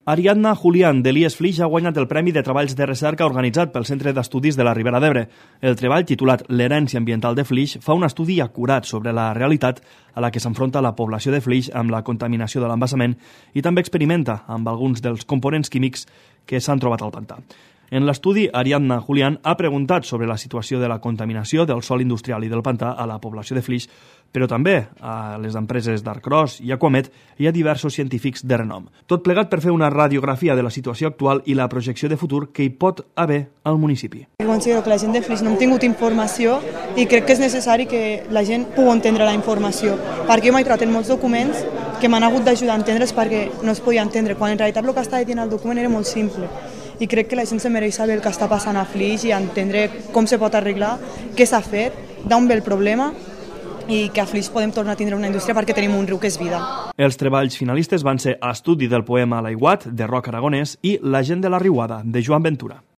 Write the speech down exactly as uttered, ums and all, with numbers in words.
Ariadna Julián, de l'I E S Flix, ha guanyat el Premi de Treballs de Recerca organitzat pel Centre d'Estudis de la Ribera d'Ebre. El treball, titulat L'herència ambiental de Flix, fa un estudi acurat sobre la realitat a la que s'enfronta la població de Flix amb la contaminació de l'embassament i també experimenta amb alguns dels components químics que s'han trobat al pantà. En l'estudi, Ariadna Julián ha preguntat sobre la situació de la contaminació del sòl industrial i del pantà a la població de Flix, però també a les empreses d'Arcros i Aquamet i a diversos científics de renom. Tot plegat per fer una radiografia de la situació actual i la projecció de futur que hi pot haver al municipi. Considero que la gent de Flix no hem tingut informació i crec que és necessari que la gent pugui entendre la informació, perquè jo m'he trobat en molts documents que m'han hagut d'ajudar a entendre's perquè no es podia entendre, quan en realitat el que estava dient el document era molt simple. I crec que la gent se mereix saber el que està passant a Flix i entendre com se pot arreglar, què s'ha fet, d'on ve el problema i que a Flix podem tornar a tindre una indústria perquè tenim un riu que és vida. Els treballs finalistes van ser Estudi del poema L'aiguat, de Roc Aragonès, i La gent de la riuada, de Joan Ventura.